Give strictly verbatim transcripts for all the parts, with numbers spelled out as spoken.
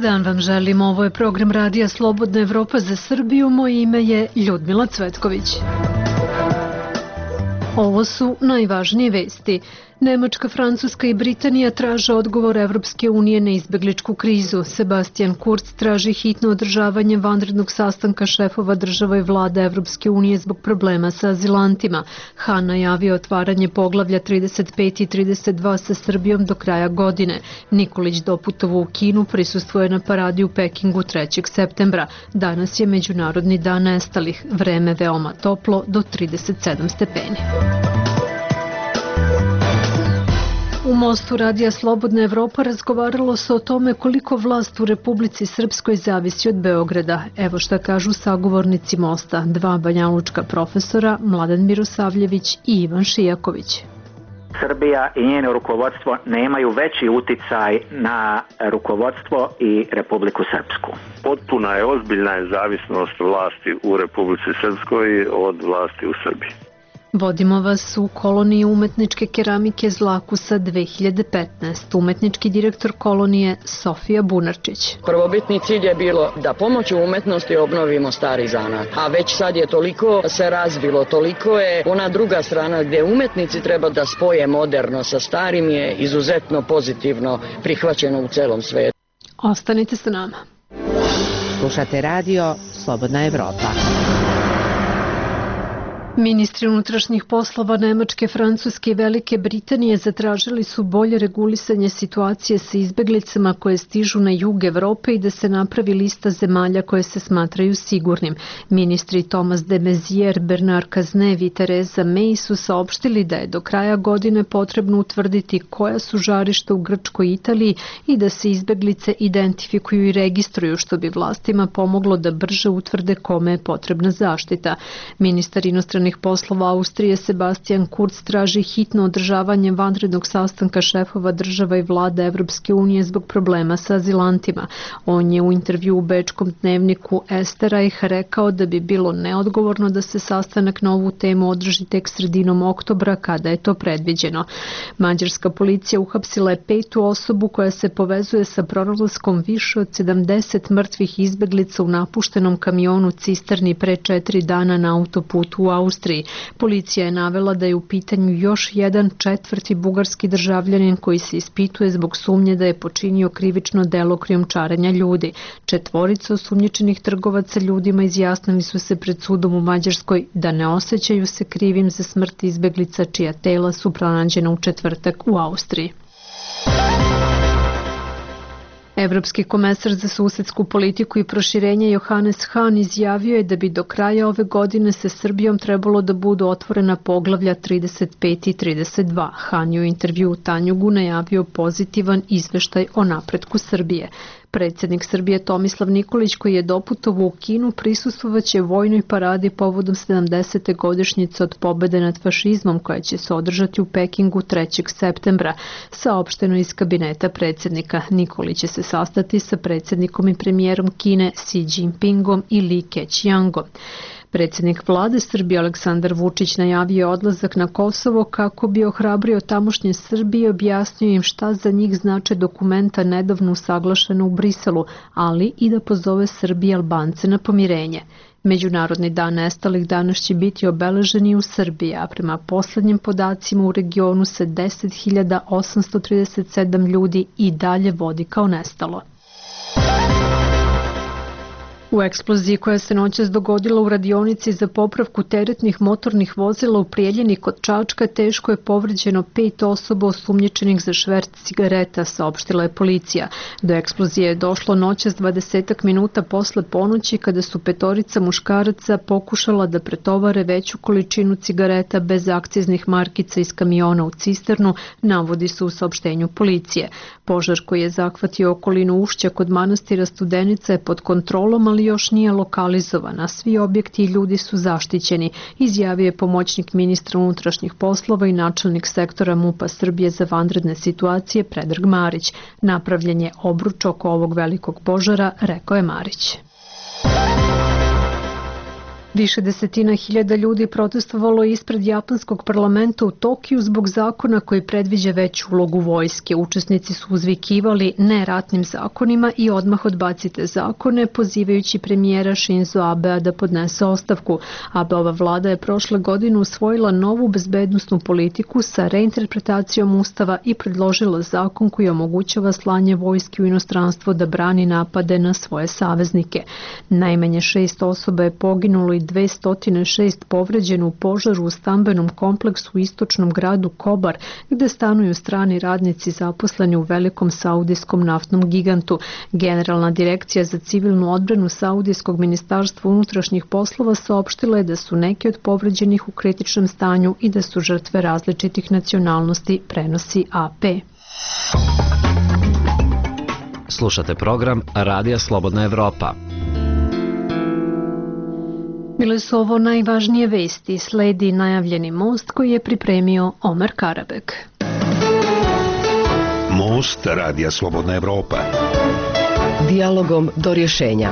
dan vam želim, ovo je program Radija Slobodna Evropa za Srbiju, moje ime je Ljudmila Cvetković. Ovo su najvažnije vesti. Nemačka, Francuska i Britanija traže odgovor Evropske unije na izbegličku krizu. Sebastian Kurz traži hitno održavanje vanrednog sastanka šefova država i vlada Evropske unije zbog problema sa azilantima. Han najavio otvaranje poglavlja trideset pet i trideset dva sa Srbijom do kraja godine. Nikolić doputovo u Kinu, prisustvuje na paradi u Pekingu trećeg septembra. Danas je Međunarodni dan nestalih. Vreme veoma toplo, do trideset sedam stepeni. U mostu Radija Slobodna Evropa razgovaralo se o tome koliko vlast u Republici Srpskoj zavisi od Beograda. Evo šta kažu sagovornici mosta, dva banjalučka profesora, Mladen Mirosavljević i Ivan Šijaković. Srbija i njeno rukovodstvo nemaju veći uticaj na rukovodstvo i Republiku Srpsku. Potpuna je, ozbiljna je zavisnost vlasti u Republici Srpskoj od vlasti u Srbiji. Vodimo vas u koloniji umetničke keramike Zlakusa dve hiljade petnaeste. Umetnički direktor kolonije Sofija Bunarčić. Prvobitni cilj je bilo da pomoću umetnosti obnovimo stari zanat. A već sad je toliko se razvilo, toliko je ona druga strana gdje umetnici treba da spoje moderno sa starim je izuzetno pozitivno prihvaćeno u celom svetu. Ostanite sa nama. Slušate radio Slobodna Evropa. Ministri unutrašnjih poslova Nemačke, Francuske i Velike Britanije zatražili su bolje regulisanje situacije sa izbeglicama koje stižu na jug Evrope i da se napravi lista zemalja koje se smatraju sigurnim. Ministri Thomas de Maizière, Bernard Cazeneuve i Theresa May su saopštili da je do kraja godine potrebno utvrditi koja su žarišta u Grčkoj i Italiji i da se izbeglice identifikuju i registruju, što bi vlastima pomoglo da brže utvrde kome je potrebna zaštita. Ministar inostranih poslova Austrije Sebastian Kurz traži hitno održavanje vanrednog sastanka šefova država i vlada Evropske unije zbog problema sa azilantima. On je u intervju u bečkom dnevniku Esterreich rekao da bi bilo neodgovorno da se sastanak na ovu temu održi tek sredinom oktobra kada je to predviđeno. Mađarska policija uhapsila je petu osobu koja se povezuje sa pronalaskom više od sedamdeset mrtvih izbeglica u napuštenom kamionu cisterni pre četiri dana na autoputu u Austriji. Policija je navela da je u pitanju još jedan četvrti bugarski državljanin koji se ispituje zbog sumnje da je počinio krivično delo krijumčarenja ljudi. Četvorica osumnjičenih trgovaca ljudima izjasnili su se pred sudom u Mađarskoj da ne osjećaju se krivim za smrt izbeglica čija tela su pronađena u četvrtak u Austriji. Evropski komesar za susedsku politiku i proširenje Johannes Hahn izjavio je da bi do kraja ove godine sa Srbijom trebalo da budu otvorena poglavlja trideset pet i trideset dva. Hahn je u intervju u Tanjugu najavio pozitivan izveštaj o napretku Srbije. Predsjednik Srbije Tomislav Nikolić, koji je doputovao u Kinu, prisustvovaće vojnoj paradi povodom sedamdesete godišnjice od pobede nad fašizmom koja će se održati u Pekingu trećeg septembra. Saopšteno iz kabineta predsjednika. Nikolić će se sastati sa predsjednikom i premijerom Kine Xi Jinpingom i Li Keqiangom. Predsjednik vlade Srbije Aleksandar Vučić najavio odlazak na Kosovo kako bi ohrabrio tamošnje Srbije i objasnio im šta za njih znače dokumenta nedavno usaglašena u Briselu, ali i da pozove Srbije i Albance na pomirenje. Međunarodni dan nestalih danas će biti obeležen i u Srbiji, a prema poslednjim podacima u regionu se deset hiljada osamsto trideset sedam ljudi i dalje vodi kao nestalo. U eksploziji koja se noćas dogodila u radionici za popravku teretnih motornih vozila u Prijeljini kod Čačka teško je povređeno pet osoba osumnjičenih za šverc cigareta, saopštila je policija. Do eksplozije je došlo noćas dvadesetak minuta posle ponoći kada su petorica muškaraca pokušala da pretovare veću količinu cigareta bez akciznih markica iz kamiona u cisternu, navodi se u saopštenju policije. Požar koji je zahvatio okolinu Ušća kod manastira Studenica je pod kontrolom, ali još nije lokalizovan, a svi objekti i ljudi su zaštićeni, izjavio je pomoćnik ministra unutrašnjih poslova i načelnik sektora MUP-a Srbije za vanredne situacije Predrag Marić. Napravljen je obruč oko ovog velikog požara, rekao je Marić. Više desetina hiljada ljudi protestovalo ispred japanskog parlamenta u Tokiju zbog zakona koji predviđa veću ulogu vojske. Učesnici su uzvikivali ne ratnim zakonima i odmah odbacite zakone, pozivajući premijera Shinzo Abea da podnese ostavku. Abeova vlada je prošle godine usvojila novu bezbednosnu politiku sa reinterpretacijom ustava i predložila zakon koji omogućava slanje vojske u inostranstvo da brani napade na svoje saveznike. Najmanje šest osoba je poginulo i dvesta šest povređeno u požaru u stambenom kompleksu u istočnom gradu Kobar, gde stanuju strani radnici zaposleni u velikom saudijskom naftnom gigantu. Generalna direkcija za civilnu odbranu Saudijskog ministarstva unutrašnjih poslova saopštila je da su neki od povređenih u kritičnom stanju i da su žrtve različitih nacionalnosti, prenosi A P. Slušate program Radija Slobodna Evropa. Bile su ovo najvažnije vesti, sledi najavljeni most koji je pripremio Omer Karabek. Most Radija Slobodna Evropa. Dijalogom do rješenja.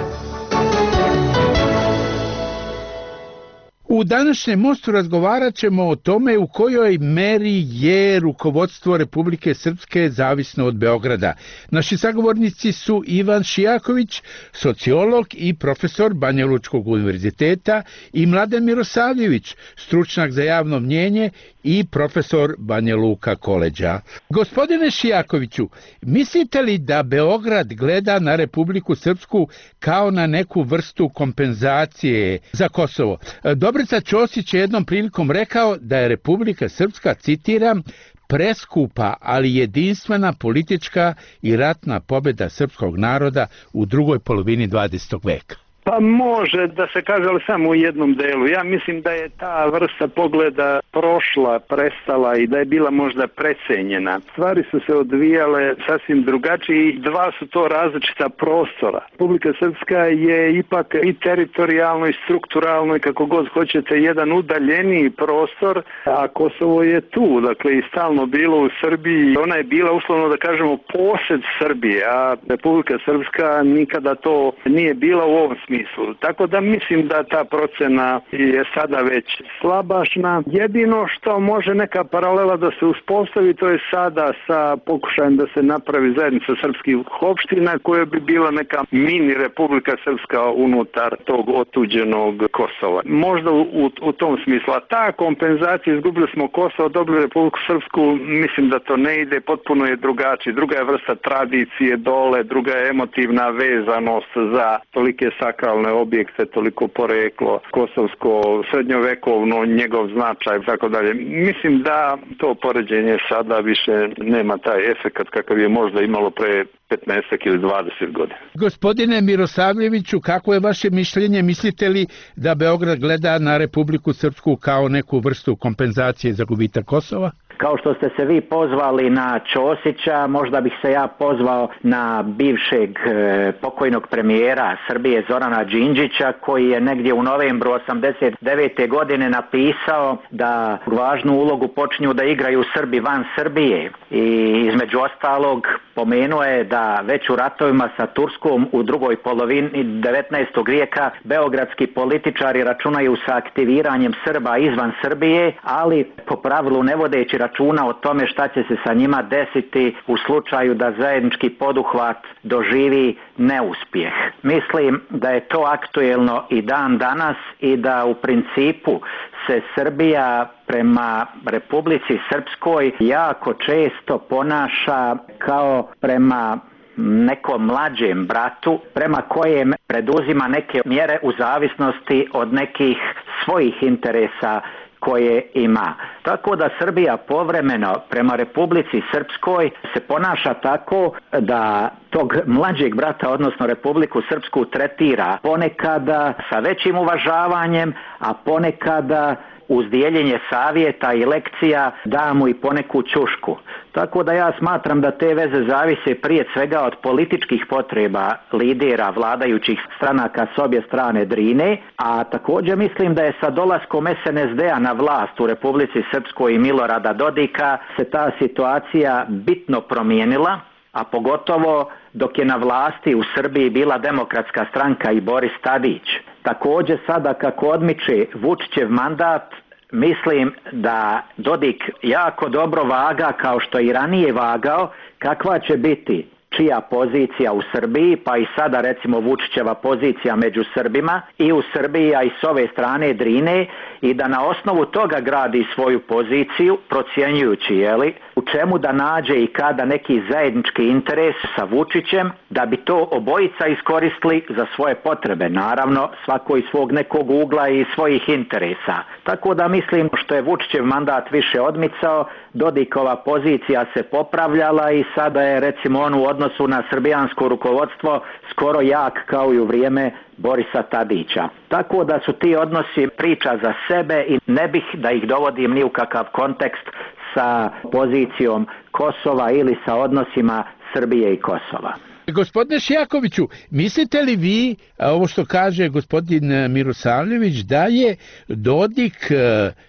U današnjem mostu razgovarat ćemo o tome u kojoj meri je rukovodstvo Republike Srpske zavisno od Beograda. Naši sagovornici su Ivan Šijaković, sociolog i profesor Banjalučkog univerziteta, i Mladen Mirosavljević, stručnjak za javno mnjenje i profesor Banja Luka koleđa. Gospodine Šijakoviću, mislite li da Beograd gleda na Republiku Srpsku kao na neku vrstu kompenzacije za Kosovo? Dobrica Ćosić je jednom prilikom rekao da je Republika Srpska, citiram, preskupa, ali jedinstvena politička i ratna pobjeda srpskog naroda u drugoj polovini dvadesetog veka. Pa može da se kaže, ali samo u jednom delu. Ja mislim da je ta vrsta pogleda prošla, prestala i da je bila možda precenjena. Stvari su se odvijale sasvim drugačije i dva su to različita prostora. Republika Srpska je ipak i teritorijalno i strukturalno i kako god hoćete jedan udaljeniji prostor, a Kosovo je tu, dakle i stalno bilo u Srbiji. Ona je bila uslovno da kažemo posed Srbije, a Republika Srpska nikada to nije bila u ovom smislu. Tako da mislim da ta procena je sada već slabašna. Jedino što može neka paralela da se uspostavi, to je sada sa pokušajem da se napravi zajednica srpskih opština koja bi bila neka mini Republika Srpska unutar tog otuđenog Kosova. Možda u, u tom smislu. A ta kompenzacija, izgubili smo Kosovo, dobili Republiku Srpsku, mislim da to ne ide, potpuno je drugačije. Druga je vrsta tradicije dole, druga je emotivna vezanost za tolike sakralne objekte, toliko poreklo, kosovsko, srednjovekovno, njegov značaj i tako dalje. Mislim da to poređenje sada više nema taj efekat kakav je možda imalo pre petnaest ili dvadeset godina. Gospodine Mirosavljeviću, kako je vaše mišljenje? Mislite li da Beograd gleda na Republiku Srpsku kao neku vrstu kompenzacije za gubitak Kosova? Kao što ste se vi pozvali na Ćosića, možda bih se ja pozvao na bivšeg e, pokojnog premijera Srbije Zorana Đinđića, koji je negdje u novembru osamdeset devete godine napisao da važnu ulogu počinju da igraju Srbi van Srbije. I između ostalog pomenuo je da već u ratovima sa Turskom u drugoj polovini devetnaestog vijeka beogradski političari računaju sa aktiviranjem Srba izvan Srbije, ali po pravilu ne vodeći računa o tome šta će se sa njima desiti u slučaju da zajednički poduhvat doživi neuspjeh. Mislim da je to aktuelno i dan danas i da u principu se Srbija prema Republici Srpskoj jako često ponaša kao prema nekom mlađem bratu, prema kojem preduzima neke mjere u zavisnosti od nekih svojih interesa koje ima. Tako da Srbija povremeno prema Republici Srpskoj se ponaša tako da tog mlađeg brata, odnosno Republiku Srpsku, tretira ponekada sa većim uvažavanjem, a ponekada uz dijeljenje savjeta i lekcija da mu i poneku ćušku. Tako da ja smatram da te veze zavise prije svega od političkih potreba lidera vladajućih stranaka s obje strane Drine, a također mislim da je sa dolaskom S N S D-a na vlast u Republici Srpskoj i Milorada Dodika se ta situacija bitno promijenila a pogotovo dok je na vlasti u Srbiji bila Demokratska stranka i Boris Tadić. Također sada kako odmiče Vučićev mandat, mislim da Dodik jako dobro vaga kao što je i ranije vagao kakva će biti čija pozicija u Srbiji, pa i sada recimo Vučićeva pozicija među Srbima i u Srbiji, a i s ove strane Drine, i da na osnovu toga gradi svoju poziciju, procjenjujući jeli, u čemu da nađe i kada neki zajednički interes sa Vučićem, da bi to obojica iskoristili za svoje potrebe, naravno svako iz svog nekog ugla i svojih interesa. Tako da mislim što je Vučićev mandat više odmicao, Dodikova pozicija se popravljala i sada je recimo on u odnosu na srbijansko rukovodstvo skoro jak kao i u vrijeme Borisa Tadića. Tako da su ti odnosi priča za sebe i ne bih da ih dovodim ni u kakav kontekst sa pozicijom Kosova ili sa odnosima Srbije i Kosova. Gospodine Šijakoviću, mislite li vi, ovo što kaže gospodin Mirosavljević, da je Dodik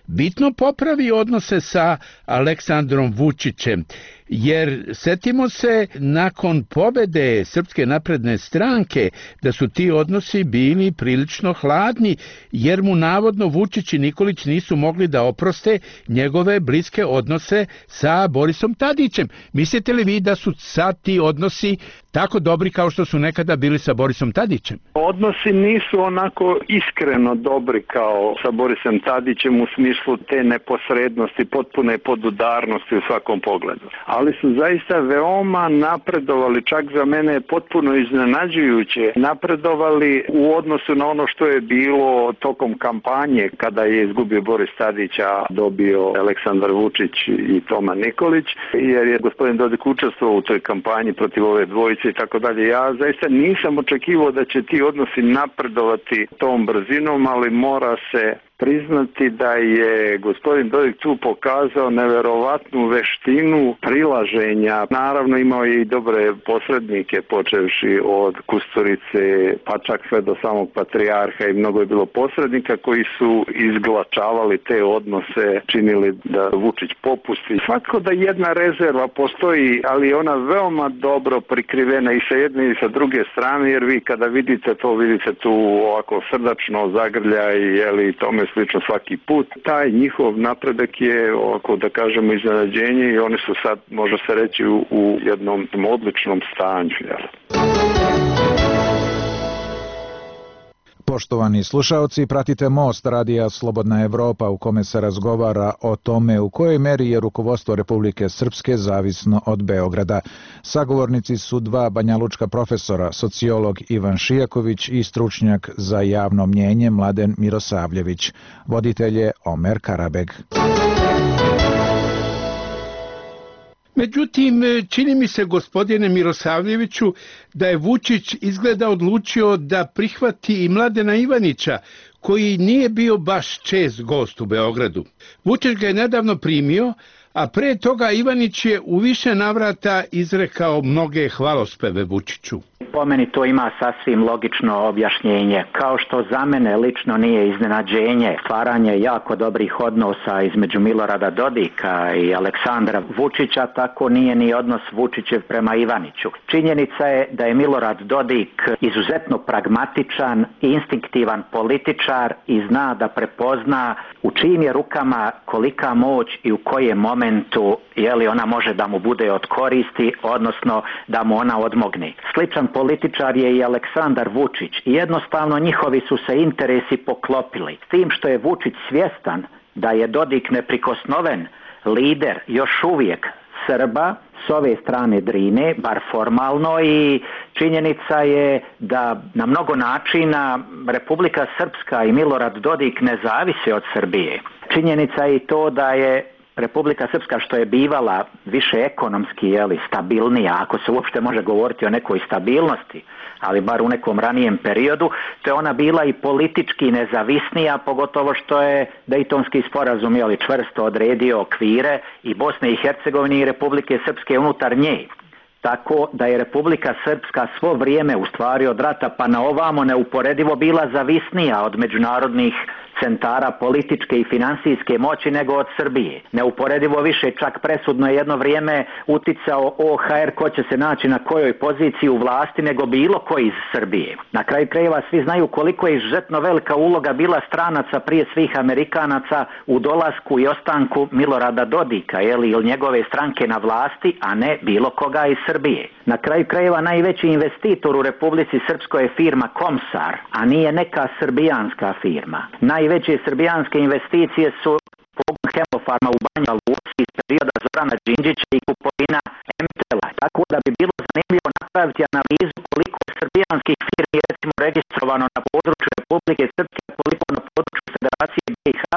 bitno popravi odnose sa Aleksandrom Vučićem? Jer setimo se nakon pobede Srpske napredne stranke da su ti odnosi bili prilično hladni, jer mu navodno Vučić i Nikolić nisu mogli da oproste njegove bliske odnose sa Borisom Tadićem. Mislite li vi da su sad ti odnosi tako dobri kao što su nekada bili sa Borisom Tadićem? Odnosi nisu onako iskreno dobri kao sa Borisom Tadićem u smislu te neposrednosti, potpune podudarnosti u svakom pogledu. Ali su zaista veoma napredovali, čak za mene potpuno iznenađujuće, napredovali u odnosu na ono što je bilo tokom kampanje kada je izgubio Boris Tadić, a dobio Aleksandar Vučić i Toma Nikolić, jer je gospodin Dodik učestvovao u toj kampanji protiv ove dvojice i tako dalje. Ja zaista nisam očekivao da će ti odnosi napredovati tom brzinom, ali mora se priznati da je gospodin Dodik tu pokazao neverovatnu veštinu prilaženja. Naravno imao je i dobre posrednike, počevši od Kusturice pa čak sve do samog patrijarha, i mnogo je bilo posrednika koji su izglačavali te odnose, činili da Vučić popusti. Svako da jedna rezerva postoji, ali ona veoma dobro prikrivena i sa jedne i sa druge strane, jer vi kada vidite to, vidite tu ovako srdačno zagrljaj, jeli, tome slično svaki put. Taj njihov napredak je, ovako da kažemo, iznenađenje i oni su sad, može se reći, u, u jednom odličnom stanju. Jel? Poštovani slušaoci, pratite Most radija Slobodna Evropa u kome se razgovara o tome u kojoj meri je rukovodstvo Republike Srpske zavisno od Beograda. Sagovornici su dva banjalučka profesora, sociolog Ivan Šijaković i stručnjak za javno mnjenje Mladen Mirosavljević. Voditelj je Omer Karabeg. Međutim, čini mi se, gospodine Mirosavljeviću, da je Vučić izgleda odlučio da prihvati i Mladena Ivanića, koji nije bio baš čest gost u Beogradu. Vučić ga je nedavno primio, a pre toga Ivanić je u više navrata izrekao mnoge hvalospeve Vučiću. Po meni to ima sasvim logično objašnjenje. Kao što za mene lično nije iznenađenje stvaranje jako dobrih odnosa između Milorada Dodika i Aleksandra Vučića, tako nije ni odnos Vučićev prema Ivaniću. Činjenica je da je Milorad Dodik izuzetno pragmatičan, instinktivan političar i zna da prepozna u čijim je rukama kolika moć i u kojem momentu je li ona može da mu bude od koristi, odnosno da mu ona odmogne. Sličan političar je i Aleksandar Vučić i jednostavno njihovi su se interesi poklopili. S tim što je Vučić svjestan da je Dodik neprikosnoven lider još uvijek Srba s ove strane Drine, bar formalno, i činjenica je da na mnogo načina Republika Srpska i Milorad Dodik ne zavise od Srbije. Činjenica je i to da je Republika Srpska, što je bivala više ekonomski, jeli, stabilnija, ako se uopšte može govoriti o nekoj stabilnosti, ali bar u nekom ranijem periodu, to je ona bila i politički nezavisnija, pogotovo što je Dejtonski sporazum, jeli, čvrsto odredio okvire i Bosne i Hercegovine i Republike Srpske unutar nje. Tako da je Republika Srpska svo vrijeme, u stvari od rata pa na ovamo, neuporedivo bila zavisnija od međunarodnih centara političke i finansijske moći nego od Srbije. Neuporedivo više, čak presudno je jedno vrijeme uticao O H R ko će se naći na kojoj poziciji u vlasti nego bilo koji iz Srbije. Na kraju krajeva svi znaju koliko je izuzetno velika uloga bila stranaca, prije svih Amerikanaca, u dolasku i ostanku Milorada Dodika, jeli, ili njegove stranke na vlasti, a ne bilo koga iz Srbije. Na kraju krajeva najveći investitor u Republici Srpskoj je firma Komsar, a nije neka srbijanska firma. Najveće srbijanske investicije su pogon Hemofarma u Banja Luci iz perioda Zorana Đinđića i kupovina M T L-a. Tako da bi bilo zanimljivo napraviti analizu koliko je srbijanskih firmi recimo registrovano na području Republike Srpske, koliko na području Federacije B i H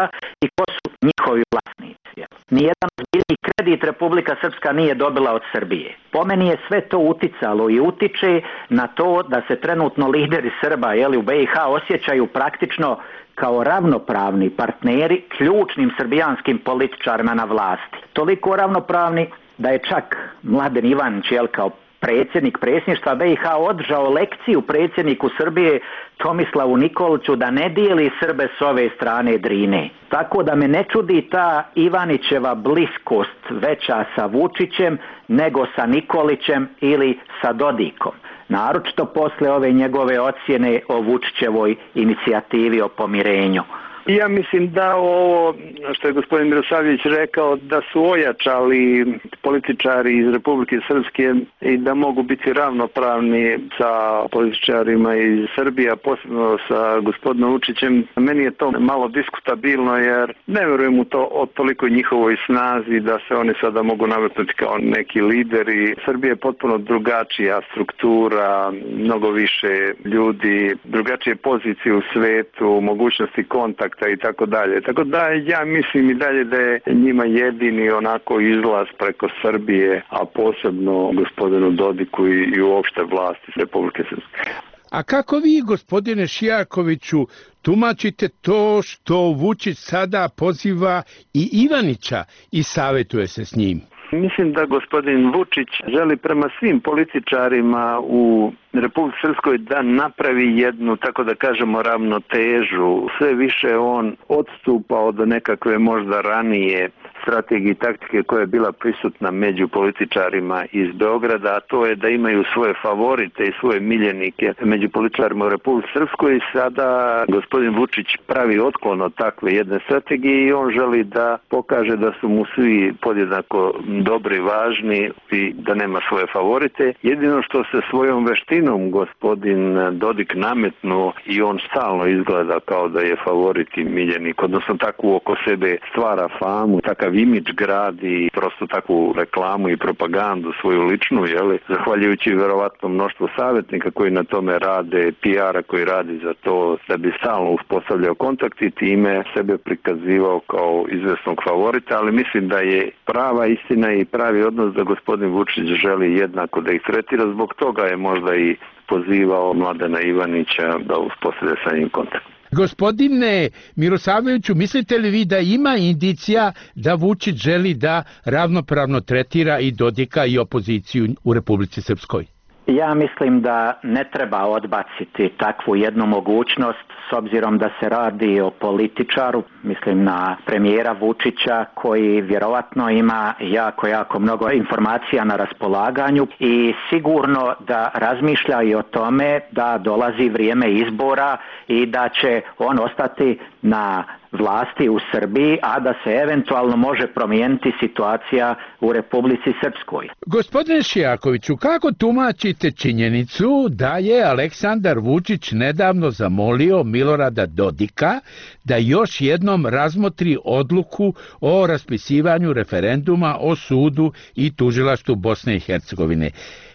i ko su njihovi vlasnici. Nijedan ozbiljni kredit Republika Srpska nije dobila od Srbije. Po meni je sve to uticalo i utiče na to da se trenutno lideri Srba, jeli, u B i H osjećaju praktično kao ravnopravni partneri ključnim srbijanskim političarima na vlasti. Toliko ravnopravni da je čak Mladen Ivanić, jel, kao predsjednik predsjedništva B i H održao lekciju predsjedniku Srbije Tomislavu Nikoliću da ne dijeli Srbe s ove strane Drine. Tako da me ne čudi ta Ivanićeva bliskost veća sa Vučićem nego sa Nikolićem ili sa Dodikom. Naročito posle ove njegove ocjene o Vučićevoj inicijativi o pomirenju. Ja mislim da ovo što je gospodin Mirosavljević rekao, da su ojačali političari iz Republike Srpske i da mogu biti ravnopravni sa političarima iz Srbije, a posebno sa gospodinom Vučićem. Meni je to malo diskutabilno jer ne verujem u to o toliko njihovoj snazi da se oni sada mogu nametnuti kao neki lideri. Srbija je potpuno drugačija struktura, mnogo više ljudi, drugačije pozicije u svetu, mogućnosti kontakta i tako dalje. Tako da ja mislim i dalje da je njima jedini onako izlaz preko Srbije, a posebno gospodinu Dodiku i, i uopšte vlasti Republike Srpske. A kako vi, gospodine Šijakoviću, tumačite to što Vučić sada poziva i Ivanića i savjetuje se s njim? Mislim da gospodin Vučić želi prema svim političarima u Republici Srpskoj da napravi jednu, tako da kažemo, ravnotežu. Sve više on odstupa od nekakve možda ranije strategije i taktike koja je bila prisutna među političarima iz Beograda, a to je da imaju svoje favorite i svoje miljenike među političarima u Republici Srpskoj. I sada gospodin Vučić pravi otklon od takve jedne strategije i on želi da pokaže da su mu svi podjednako dobri, važni i da nema svoje favorite. Jedino što se svojom veštinom gospodin Dodik nametnuo i on stalno izgleda kao da je favorit i miljenik, odnosno takvu oko sebe stvara famu, takav imidž gradi, prosto takvu reklamu i propagandu svoju ličnu, jeli, zahvaljujući verovatno mnoštvo savjetnika koji na tome rade, P R-a koji radi za to, da bi stalno uspostavljao kontakt i time sebe prikazivao kao izvesnog favorita, ali mislim da je prava istina i pravi odnos da gospodin Vučić želi jednako da ih tretira, zbog toga je možda i pozivao Mladena Ivanića da uspostavlja sa njim kontakt. Gospodine Mirosavljeviću, mislite li vi da ima indicija da Vučić želi da ravnopravno tretira i Dodika i opoziciju u Republici Srpskoj? Ja mislim da ne treba odbaciti takvu jednu mogućnost s obzirom da se radi o političaru, mislim na premijera Vučića koji vjerovatno ima jako, jako mnogo informacija na raspolaganju i sigurno da razmišlja i o tome da dolazi vrijeme izbora i da će on ostati na vlasti u Srbiji, a da se eventualno može promijeniti situacija u Republici Srpskoj. Gospodine Šijakoviću, kako tumačite činjenicu da je Aleksandar Vučić nedavno zamolio Milorada Dodika da još jednom razmotri odluku o raspisivanju referenduma o sudu i tužilaštvu Bosne i Hercegovine?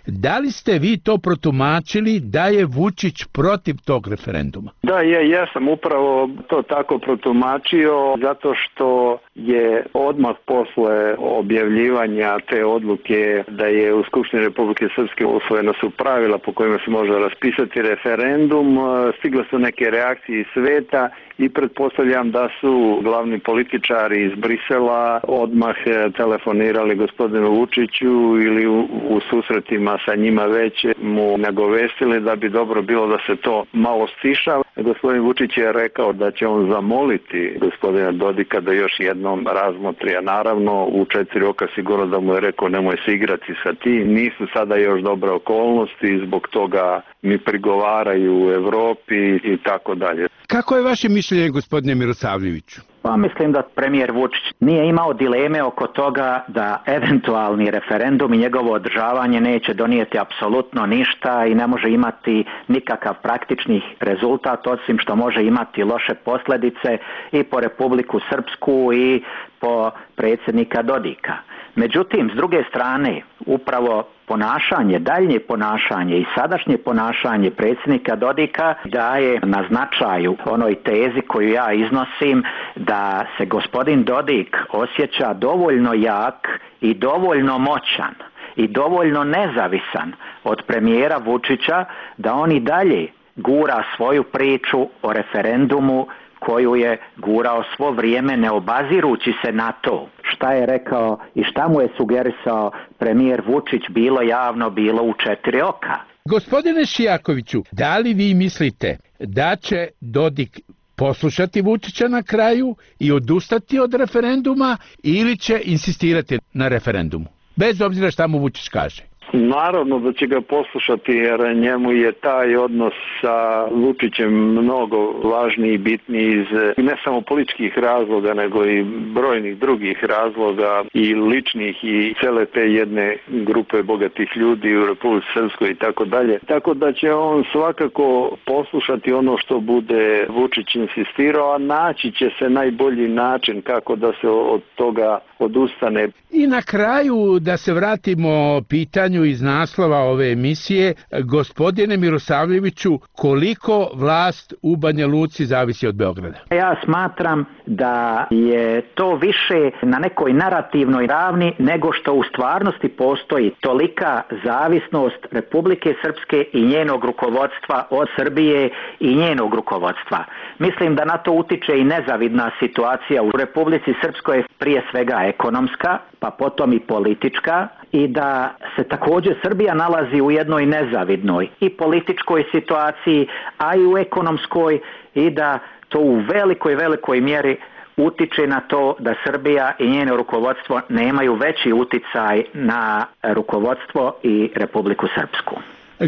Da li ste vi to protumačili da je Vučić protiv tog referenduma? Da, ja, ja sam upravo to tako protumačio zato što je odmah posle objavljivanja te odluke da je u Skupštini Republike Srpske usvojena su pravila po kojima se može raspisati referendum, stigle su neke reakcije iz sveta i pretpostavljam da su glavni političari iz Brisela odmah telefonirali gospodinu Vučiću ili u, u susretima sa njima već mu nagovestili da bi dobro bilo da se to malo stiša. Gospodin Vučić je rekao da će on zamoliti gospodina Dodika da još jednom razmotri, a naravno u četiri oka sigurno da mu je rekao nemoj se igrati sa tim, nisu sada još dobre okolnosti, zbog toga mi prigovaraju u Evropi i tako dalje. Kako je vaše mišljenje, gospodine Mirosavljeviću? Pa mislim da premijer Vučić nije imao dileme oko toga da eventualni referendum i njegovo održavanje neće donijeti apsolutno ništa i ne može imati nikakav praktični rezultat, osim što može imati loše posljedice i po Republiku Srpsku i po predsjednika Dodika. Međutim, s druge strane, upravo ponašanje, daljnje ponašanje i sadašnje ponašanje predsjednika Dodika daje na značaju onoj tezi koju ja iznosim da se gospodin Dodik osjeća dovoljno jak i dovoljno moćan i dovoljno nezavisan od premijera Vučića da on i dalje gura svoju priču o referendumu koju je gurao svo vrijeme ne obazirući se na to šta je rekao i šta mu je sugerisao premijer Vučić, bilo javno, bilo u četiri oka. Gospodine Šijakoviću, da li vi mislite da će Dodik poslušati Vučića na kraju i odustati od referenduma ili će insistirati na referendumu, bez obzira šta mu Vučić kaže? Naravno da će ga poslušati jer njemu je taj odnos sa Vučićem mnogo važniji i bitniji iz ne samo političkih razloga nego i brojnih drugih razloga i ličnih i cele te jedne grupe bogatih ljudi u Republici Srpskoj i tako dalje. Tako da će on svakako poslušati ono što bude Vučić insistirao, a naći će se najbolji način kako da se od toga odustane. I na kraju da se vratimo pitanju iz naslova ove emisije, gospodine Mirosavljeviću, koliko vlast u Banja Luci zavisi od Beograda? Ja smatram da je to više na nekoj narativnoj ravni nego što u stvarnosti postoji tolika zavisnost Republike Srpske i njenog rukovodstva od Srbije i njenog rukovodstva. Mislim da na to utiče i nezavidna situacija u Republici Srpskoj, prije svega ekonomska, pa potom i politička, i da se također Srbija nalazi u jednoj nezavidnoj i političkoj situaciji, a i u ekonomskoj, i da to u velikoj, velikoj mjeri utiče na to da Srbija i njeno rukovodstvo nemaju veći uticaj na rukovodstvo i Republiku Srpsku.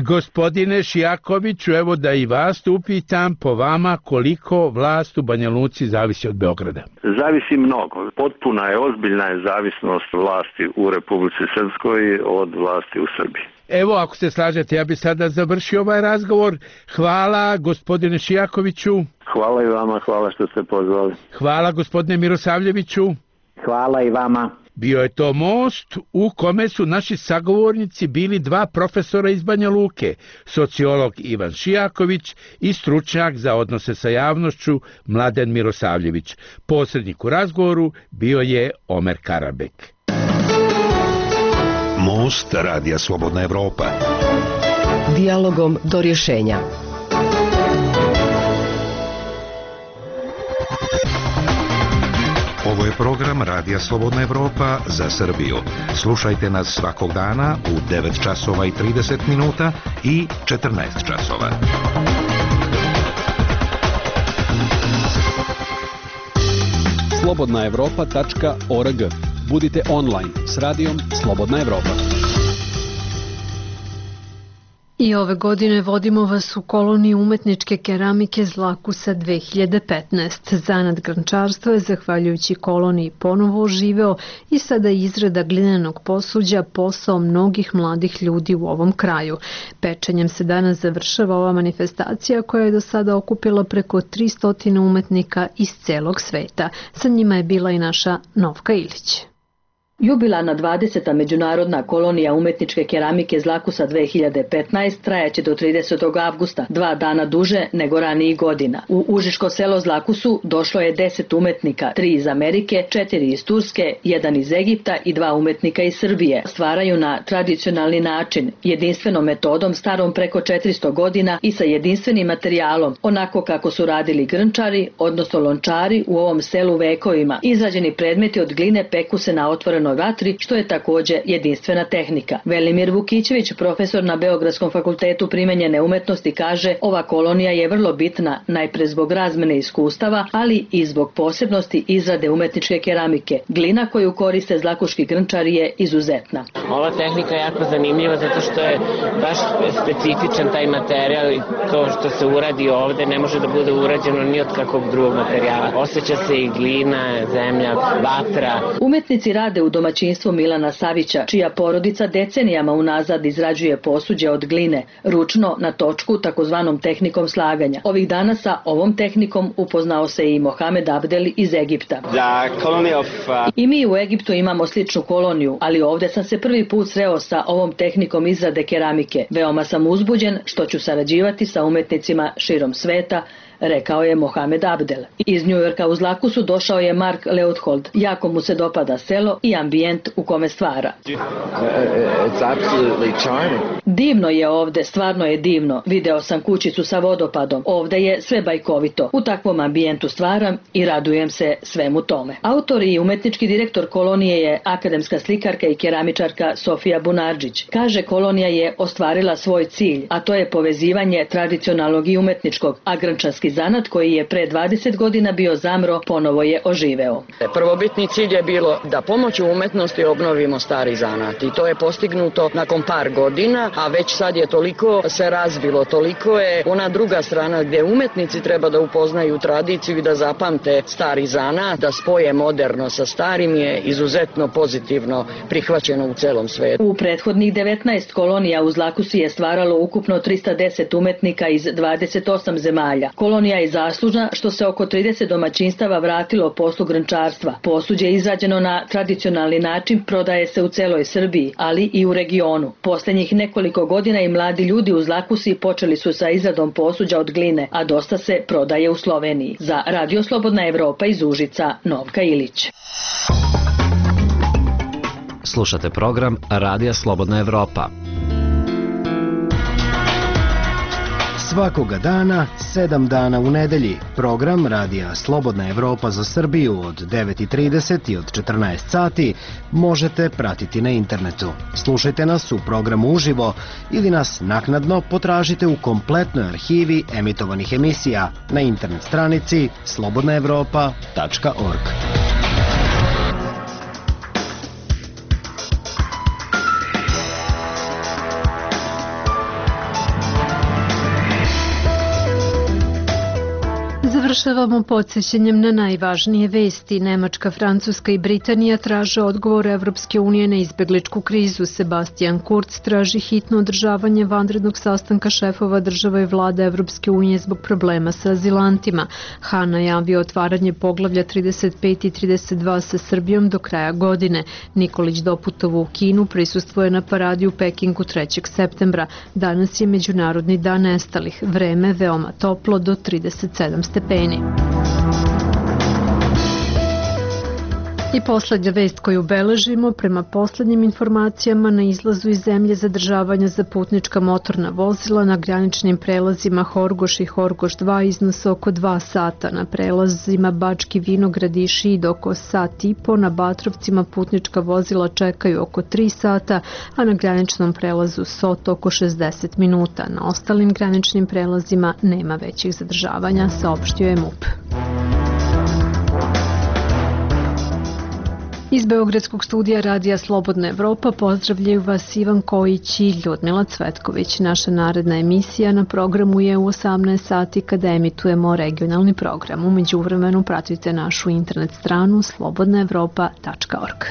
Gospodine Šijakoviću, evo da i vas upitam, po vama koliko vlast u Banja Luci zavisi od Beograda? Zavisi mnogo. Potpuna je, ozbiljna je zavisnost vlasti u Republici Srpskoj od vlasti u Srbiji. Evo, ako se slažete, ja bih sada završio ovaj razgovor. Hvala, gospodine Šijakoviću. Hvala i vama, hvala što ste pozvali. Hvala, gospodine Mirosavljeviću. Hvala i vama. Bio je to most u kome su naši sagovornici bili dva profesora iz Banja Luke, sociolog Ivan Šijaković i stručnjak za odnose sa javnošću Mladen Mirosavljević. Posrednik u razgovoru bio je Omer Karabek. Most Radija Slobodna Evropa. Dijalogom do rješenja. Ovo je program Radija Slobodna Evropa za Srbiju. Slušajte nas svakog dana u devet časova i trideset minuta i četrnaest časova. slobodna evropa tačka org. Budite online s radijom Slobodna Evropa. I ove godine vodimo vas u koloniju umetničke keramike Zlakusa dve hiljade petnaest. Zanat grančarstva je, zahvaljujući koloniji, ponovo oživeo i sada izrada glinenog posuđa posao mnogih mladih ljudi u ovom kraju. Pečenjem se danas završava ova manifestacija koja je do sada okupila preko tristo umetnika iz celog sveta. Sa njima je bila i naša Novka Ilić. Jubilarna dvadeseta međunarodna kolonija umetničke keramike Zlakusa dve hiljade petnaest trajaće do tridesetog avgusta, dva dana duže nego ranijih godina. U Užičko selo Zlakusu došlo je deset umetnika, tri iz Amerike, četiri iz Turske, jedan iz Egipta i dva umetnika iz Srbije. Stvaraju na tradicionalni način, jedinstvenom metodom starom preko četiristo godina i sa jedinstvenim materijalom, onako kako su radili grnčari, odnosno lončari u ovom selu vekovima. Izrađeni predmeti od gline peku se na otvorenoj vatrenoj vatri, što je također jedinstvena tehnika. Velimir Vukićević, profesor na Beogradskom fakultetu primenjene umetnosti, kaže ova kolonija je vrlo bitna najpre zbog razmene iskustava, ali i zbog posebnosti izrade umetničke keramike. Glina koju koriste zlakuški grnčari je izuzetna. Ova tehnika je jako zanimljiva zato što je baš specifičan taj materijal i to što se uradi ovde ne može da bude urađeno ni od kakvog drugog materijala. Osjeća se i glina, zemlja, vatra. Umetnici rade u domaćinstvu Milana Savića, čija porodica decenijama unazad izrađuje posuđe od gline, ručno na točku takozvanom tehnikom slaganja. Ovih dana sa ovom tehnikom upoznao se i Mohamed Abdel iz Egipta. I mi u Egiptu imamo sličnu koloniju, ali ovdje sam se prvi put sreo sa ovom tehnikom izrade keramike. Veoma sam uzbuđen što ću sarađivati sa umetnicima širom sveta, rekao je Mohamed Abdel. Iz Njujorka u Zlakusu došao je Mark Leuthold. Jako mu se dopada selo i ambijent u kome stvara. Divno je ovde, stvarno je divno. Video sam kućicu sa vodopadom. Ovde je sve bajkovito. U takvom ambijentu stvaram i radujem se svemu tome. Autor i umetnički direktor kolonije je akademska slikarka i keramičarka Sofija Bunardžić. Kaže, kolonija je ostvarila svoj cilj, a to je povezivanje tradicionalnog i umetničkog, a grnčarski zanat koji je pre dvadeset godina bio zamro, ponovo je oživeo. Prvobitni cilj je bilo da pomoću umetnosti obnovimo stari zanat i to je postignuto nakon par godina, a već sad je toliko se razvilo, toliko je ona druga strana gdje umetnici treba da upoznaju tradiciju i da zapamte stari zanat, da spoje moderno sa starim je izuzetno pozitivno prihvaćeno u celom svetu. U prethodnih devetnaest kolonija u Zlakusi je stvaralo ukupno trista deset umetnika iz dvadeset osam zemalja. Kolonija je zaslužna što se oko trideset domaćinstava vratilo poslu grnčarstva. Posuđe izrađeno na tradicionalni način prodaje se u celoj Srbiji, ali i u regionu. Posljednjih nekoliko godina i mladi ljudi u Zlakusi počeli su sa izradom posuđa od gline, a dosta se prodaje u Sloveniji. Za Radio Slobodna Evropa iz Užica, Novka Ilić. Slušate program Radija Slobodna Evropa. Svakoga dana, sedam dana u nedelji, program Radija Slobodna Evropa za Srbiju od devet i trideset i od četrnaest sati možete pratiti na internetu. Slušajte nas u programu uživo ili nas naknadno potražite u kompletnoj arhivi emitovanih emisija na internet stranici slobodna evropa tačka org. Završavamo podsjećanjem na najvažnije vesti. Nemačka, Francuska i Britanija traže odgovor Evropske unije na izbegličku krizu. Sebastian Kurz traži hitno održavanje vanrednog sastanka šefova država i vlada Evropske unije zbog problema sa azilantima. Han najavio otvaranje poglavlja trideset pet i trideset dva sa Srbijom do kraja godine. Nikolić doputovo u Kinu, prisustvuje na paradi u Pekingu trećeg septembra. Danas je Međunarodni dan nestalih. Vreme veoma toplo do trideset sedam stepeni. I poslednja vest koju beležimo, prema poslednjim informacijama na izlazu iz zemlje zadržavanja za putnička motorna vozila na graničnim prelazima Horgoš i Horgoš dva iznose oko dva sata, na prelazima Bački Vinograd i Šid oko sat i po, na Batrovcima putnička vozila čekaju oko tri sata, a na graničnom prelazu Sot oko šezdeset minuta. Na ostalim graničnim prelazima nema većih zadržavanja, saopštio je MUP. Iz Beogradskog studija Radija Slobodna Evropa pozdravljaju vas Ivan Kojić i Ljudmila Cvetković. Naša naredna emisija na programu je u osamnaest sati kada emitujemo regionalni program. U međuvremenu pratite našu internet stranu slobodna evropa tačka org.